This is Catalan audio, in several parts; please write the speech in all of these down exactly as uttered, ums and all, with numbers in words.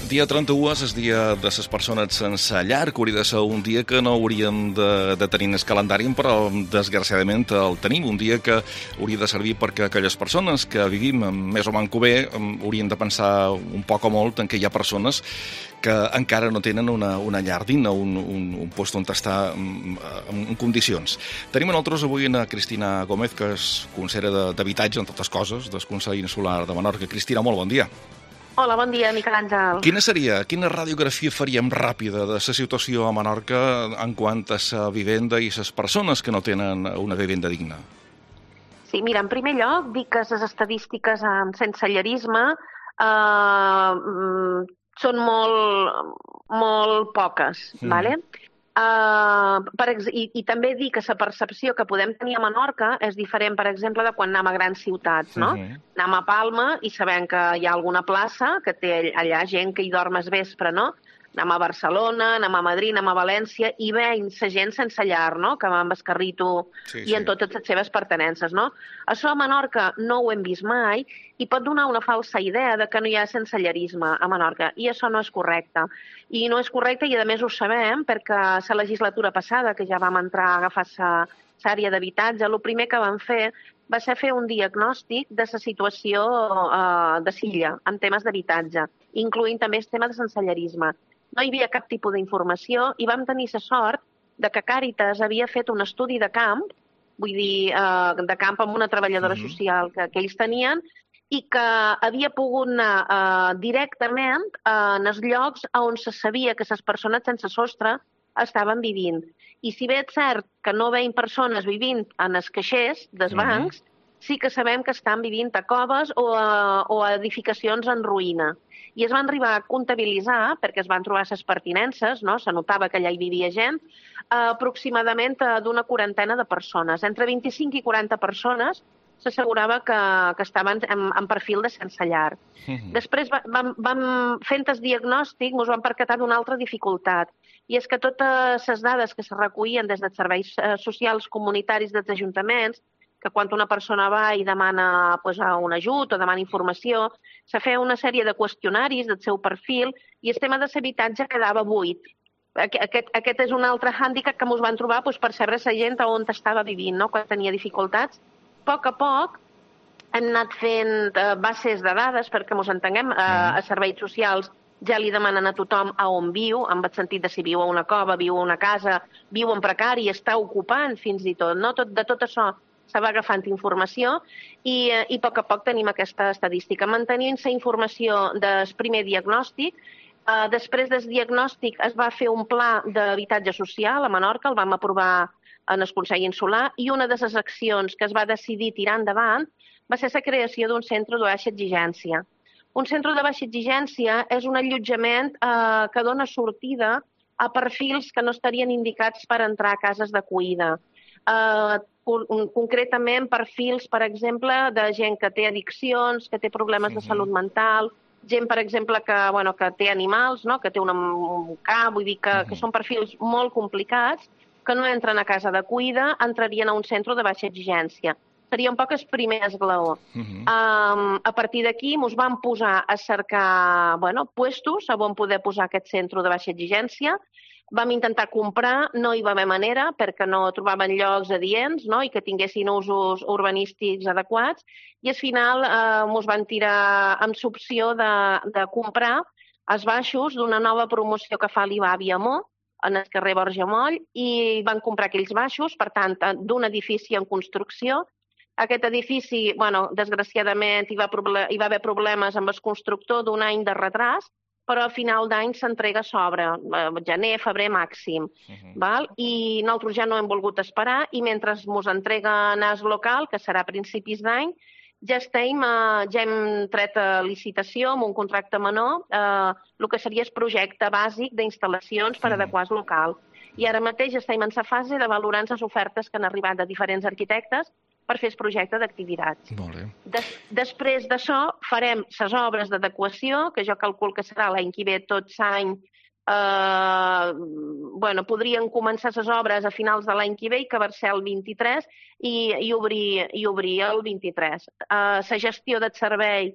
Dia trenta-u és el dia de les persones sense llar, que hauria de ser un dia que no hauríem de, de tenir en el calendari, però desgraciadament el tenim, un dia que hauria de servir perquè aquelles persones que vivim més o manco bé haurien de pensar un poc o molt en què hi ha persones que encara no tenen una, una llar digna, un, un, un lloc on estar en, en condicions. Tenim a nosaltres avui a Cristina Gómez, que és consellera d'Habitatge, en totes coses, del Consell Insular de Menorca. Cristina, molt bon dia. Hola, bon dia, Miquel Àngel. Quina seria, quina radiografia faríem ràpida de la situació a Menorca en quant a la vivenda i les persones que no tenen una vivenda digna? Sí, mira, en primer lloc, dic que les estadístiques en sensellarisme eh, són molt, molt poques, mm. ¿vale? Uh, per ex i, I també dir que la percepció que podem tenir a Menorca és diferent, per exemple, de quan anem a grans ciutats, no? Uh -huh. Anem a Palma i sabem que hi ha alguna plaça que té allà gent que hi dorm al vespre, no? Anem a Barcelona, anem a Madrid, anem a València i veiem la gent sense llar, no? Que va amb el carrito sí, i en sí. totes les seves pertenences, no? Això a Menorca no ho hem vist mai i pot donar una falsa idea de que no hi ha sensellarisme a Menorca, i això no és correcte. I no és correcte, i a més ho sabem, perquè la legislatura passada, que ja vam entrar a agafar l'àrea d'habitatge, el primer que vam fer va ser fer un diagnòstic de la situació uh, de Silla en temes d'habitatge, incloent també el tema de sensellarisme. No hi havia cap tipus d'informació i vam tenir la sort de que Càritas havia fet un estudi de camp, vull dir, uh, de camp amb una treballadora mm-hmm. social que, que ells tenien, i que havia pogut anar uh, directament uh, en els llocs on se sabia que les persones sense sostre estaven vivint. I si bé és cert que no veiem persones vivint en els caixers dels bancs, mm-hmm. sí que sabem que estan vivint a coves o a, o a edificacions en ruïna. I es van arribar a comptabilitzar, perquè es van trobar les pertinences, no? Se notava que allà hi vivia gent, uh, aproximadament uh, d'una quarantena de persones. Entre vint-i-cinc i quaranta persones s'assegurava que, que estaven en, en perfil de sense llar. Mm-hmm. Després va, vam, vam, fent el diagnòstic, ens vam percatar d'una altra dificultat, i és que totes les dades que se recollien des dels serveis eh, socials comunitaris dels ajuntaments, que quan una persona va i demana pues, un ajut o demana informació, se feia una sèrie de qüestionaris del seu perfil i el tema de l'habitatge quedava buit. Aquest, aquest és un altre hàndicap que ens van trobar pues, per saber la gent on estava vivint, no? Quan tenia dificultats. A poc a poc hem anat fent eh, bases de dades perquè ens entenguem. Eh, a serveis socials ja li demanen a tothom a on viu, en el sentit de si viu a una cova, viu a una casa, viu en precari, està ocupant fins i tot. No? Tot de tot això se va agafant informació i, eh, i a poc a poc tenim aquesta estadística. Mantenint la informació del primer diagnòstic, eh, després del diagnòstic es va fer un pla d'habitatge social a Menorca, el vam aprovar en el Consell Insular, i una de les accions que es va decidir tirar endavant va ser la creació d'un centre de baixa exigència. Un centre de baixa exigència és un allotjament eh, que dona sortida a perfils que no estarien indicats per entrar a cases d'acollida. Eh, concretament perfils, per exemple, de gent que té addiccions, que té problemes de salut mental, gent, per exemple, que, bueno, que té animals, no? Que té una, un cap, vull dir que, que són perfils molt complicats, que no entren a casa d'acollida, entrarien a un centre de baixa exigència. Seria un poc el primer esglaó. Uh-huh. um, a partir d'aquí ens vam posar a cercar bueno, puestos on poder posar aquest centre de baixa exigència. Vam intentar comprar, no hi va haver manera, perquè no trobaven llocs adients, no? I que tinguessin usos urbanístics adequats, i al final eh, ens van tirar amb l'opció de, de comprar els baixos d'una nova promoció que fa l'I B A Viamó, en el carrer Borja Moll, i van comprar aquells baixos, per tant, d'un edifici en construcció. Aquest edifici, bueno, desgraciadament, hi va, hi va haver problemes amb el constructor d'un any de retras, però a final d'any s'entrega a sobre, gener, febrer màxim. Uh-huh. Val? I nosaltres ja no hem volgut esperar, i mentre ens entreguen el local, que serà a principis d'any, ja estem, eh, ja hem tret a licitació amb un contracte menor eh, el que seria el projecte bàsic d'instal·lacions per adequar el local. I ara mateix estem en la fase de valorar les ofertes que han arribat de diferents arquitectes per fer el projecte d'activitats. Des, després d'això farem les obres d'adequació, que jo calcul que serà l'any que ve tot l'any. Eh, bueno, podrien començar les obres a finals de l'any que ve, que va ser el vint-i-tres, i, i, obrir, i obrir el vint-i-tres. Eh, la gestió del servei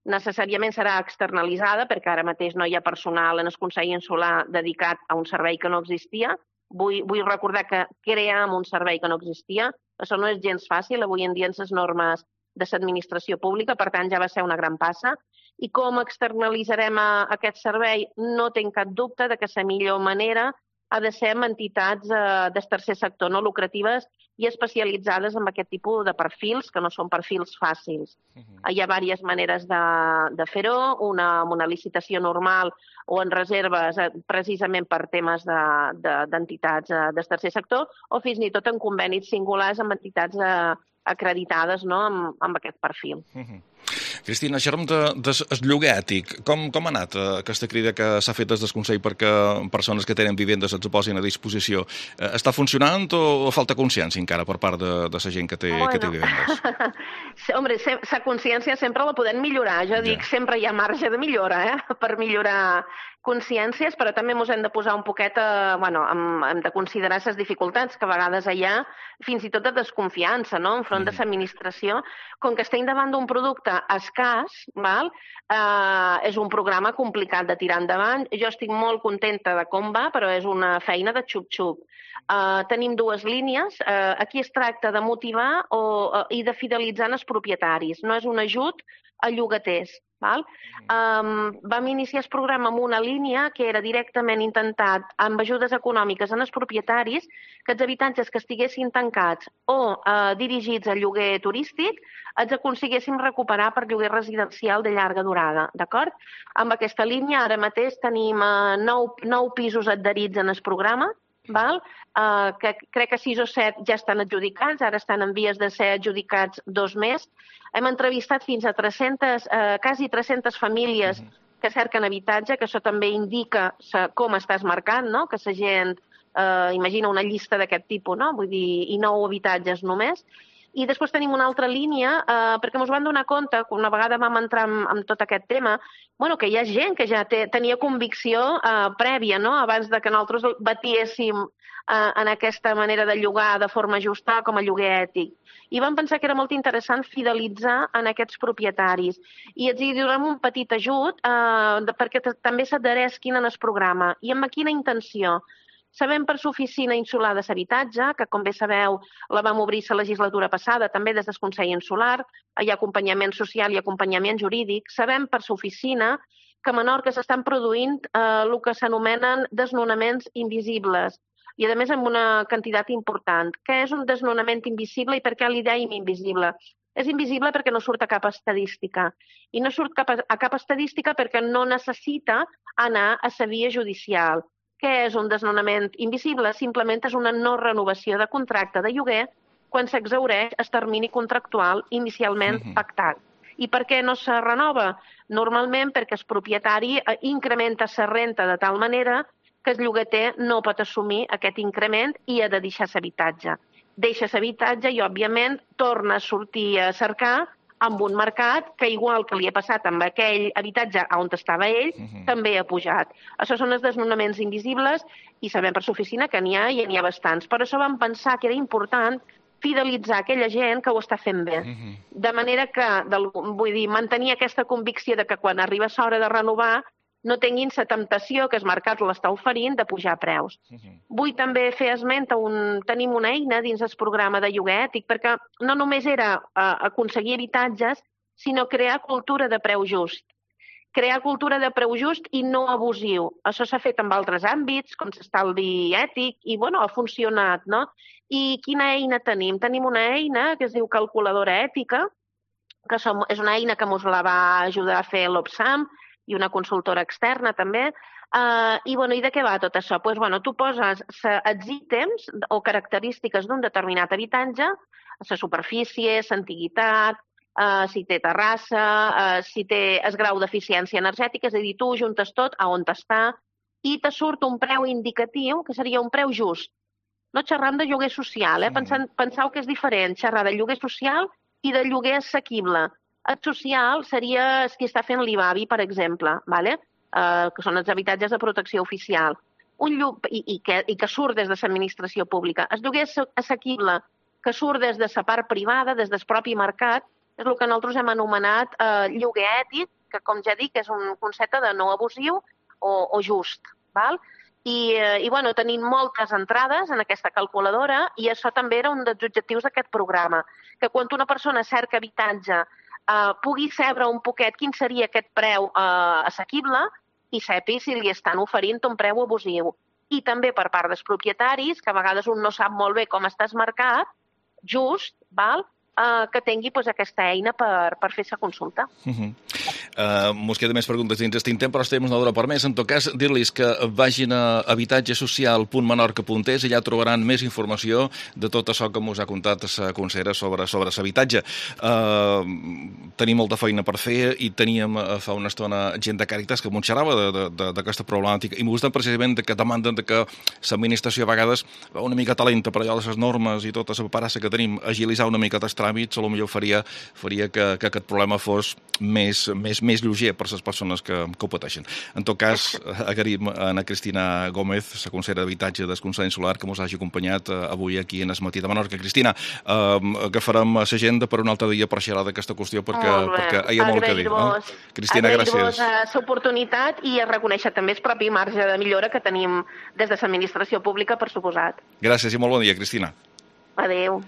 necessàriament serà externalitzada, perquè ara mateix no hi ha personal en el Consell Insular dedicat a un servei que no existia. Vull, vull recordar que cream un servei que no existia. Això no és gens fàcil, avui en dia en les normes de l'administració pública, per tant ja va ser una gran passa. I com externalitzarem aquest servei? No tinc cap dubte de que la millor manera ha de ser amb entitats eh, del tercer sector no lucratives i especialitzades en aquest tipus de perfils, que no són perfils fàcils. Uh-huh. Hi ha diverses maneres de, de fer-ho, una amb una licitació normal o en reserves eh, precisament per temes d'entitats de, de, eh, del tercer sector, o fins i tot en convenis singulars amb entitats eh, acreditades no, amb, amb aquest perfil. Uh-huh. Cristina, xerrem de, de lloguer ètic. Com, com ha anat eh, aquesta crida que s'ha fet des del Consell perquè persones que tenen vivendes es posin a disposició? Eh, està funcionant o, o falta consciència encara per part de, de la gent que té, bueno. que té vivendes? Hombre, la consciència sempre la podem millorar. Jo dic, ja. sempre hi ha marge de millora eh, per millorar consciències, però també ens hem de posar un poquet, a, bueno, hem, hem de considerar les dificultats que a vegades hi ha, fins i tot de desconfiança, no?, enfront mm. de l'administració. Com que estem davant d'un producte escàs, val? Eh, és un programa complicat de tirar endavant. Jo estic molt contenta de com va, però és una feina de xup-xup. Uh, tenim dues línies. Uh, aquí es tracta de motivar o, uh, i de fidelitzar els propietaris. No és un ajut a llogaters. Val? Um, vam iniciar el programa amb una línia que era directament intentat amb ajudes econòmiques en els propietaris que els habitatges que estiguessin tancats o uh, dirigits a lloguer turístic els aconseguéssim recuperar per lloguer residencial de llarga durada. D'acord? Amb aquesta línia ara mateix tenim uh, nou, nou pisos adherits en el programa, val? Uh, que crec que sis o set ja estan adjudicats, ara estan en vies de ser adjudicats dos més. Hem entrevistat fins a tres-centes, eh, quasi tres-centes famílies que cerquen habitatge, que això també indica com estàs marcant, no? Que la gent eh, imagina una llista d'aquest tipus, no? Vull dir, i nou habitatges només. I després tenim una altra línia, eh, perquè ens van donar compte, que una vegada vam entrar en, en tot aquest tema, bueno, que hi ha gent que ja té, tenia convicció eh, prèvia, no?, abans de que nosaltres batiéssim eh, en aquesta manera de llogar de forma justa com a lloguer ètic. I vam pensar que era molt interessant fidelitzar en aquests propietaris. I els hi donem un petit ajut eh, perquè també s'adheresquin en el programa. I amb quina intenció? Sabem per l'Oficina Insular de l'Habitatge, que com bé sabeu la vam obrir la legislatura passada, també des del Consell Insular, hi ha acompanyament social i acompanyament jurídic. Sabem per l'oficina que a Menorca s'estan produint eh, el que s'anomenen desnonaments invisibles, i a més amb una quantitat important. Què és un desnonament invisible i per què li dèiem invisible? És invisible perquè no surt a cap estadística. I no surt cap a, a cap estadística perquè no necessita anar a la via judicial. Què és un desnonament invisible? Simplement és una no renovació de contracte de lloguer quan s'exhaureix el termini contractual inicialment uh-huh. pactat. I per què no se renova? Normalment perquè el propietari incrementa la renta de tal manera que el llogater no pot assumir aquest increment i ha de deixar l'habitatge. Deixa l'habitatge i, òbviament, torna a sortir a cercar amb un mercat que, igual que li ha passat amb aquell habitatge on estava ell, uh-huh. també ha pujat. Això són els desnonaments invisibles i sabem per l'oficina que n'hi ha i n'hi ha bastants. Per això vam pensar que era important fidelitzar aquella gent que ho està fent bé. Uh-huh. De manera que, del, vull dir, mantenir aquesta convicció de que quan arriba l'hora de renovar no tinguin la temptació que el mercat l'està oferint de pujar preus. Uh-huh. Vull també fer esment a un... Tenim una eina dins el programa de lloguer ètic perquè no només era uh, aconseguir habitatges, sinó crear cultura de preu just. Crear cultura de preu just i no abusiu. Això s'ha fet en altres àmbits, com l'estalvi ètic, i bueno, ha funcionat, no? I quina eina tenim? Tenim una eina que es diu calculadora ètica, que som, és una eina que ens la va ajudar a fer l'Opsam, i una consultora externa també. Uh, I, bueno, i de què va tot això? Pues, bueno, tu poses els ítems o característiques d'un determinat habitatge, la superfície, l'antiguitat, uh, si té terrassa, uh, si té el grau d'eficiència energètica, és a dir, tu juntes tot a on està i te surt un preu indicatiu, que seria un preu just. No xerram de lloguer social, eh? Pensant, penseu que és diferent xerrar de lloguer social i de lloguer assequible. El social seria el que està fent l'I B A B I, per exemple, vale? uh, que són els habitatges de protecció oficial, un lloc, i, i, que, i que surt des de l'administració pública. El lloguer assequible que surt des de la part privada, des del propi mercat, és el que nosaltres hem anomenat eh, lloguer ètic, que com ja dic és un concepte de no abusiu o, o just, val? I, eh, i bueno, tenim moltes entrades en aquesta calculadora i això també era un dels objectius d'aquest programa, que quan una persona cerca habitatge eh, pugui saber un poquet quin seria aquest preu eh, assequible i sapi si li estan oferint un preu abusiu. I també per part dels propietaris, que a vegades un no sap molt bé com està el mercat, just, val? Uh, que tingui pues, aquesta eina per, per fer-se consulta. Uh -huh. uh, mos queda més preguntes dins d'aquest intent, però estem una hora per més. En tot cas, dir-los que vagin a habitatgesocial punt menorca punt es i allà trobaran més informació de tot això que mos ha contat la consellera sobre, sobre l'habitatge. Uh, tenim molta feina per fer i teníem uh, fa una estona gent de Càritas que mos xerrava d'aquesta problemàtica i m'ho gusta precisament que demanden de que l'administració a vegades va una mica talenta per allò de les normes i tota la paperassa que tenim, agilitzar una mica els tràmits, potser faria, faria que, que aquest problema fos més, més, més lleuger per les persones que, que ho pateixen. En tot cas, agraïm a Ana Cristina Gómez, la consellera d'Habitatge del Consell Insular, que ens hagi acompanyat avui aquí en el matí de Menorca. Cristina, eh, agafarem l'agenda per un altre dia per xerrar d'aquesta qüestió perquè, perquè hi ha molt que dir. No? Cristina, gràcies. Agrair-vos l'oportunitat i reconèixer també el propi marge de millora que tenim des de l'administració pública, per suposat. Gràcies i molt bon dia, Cristina. Adéu.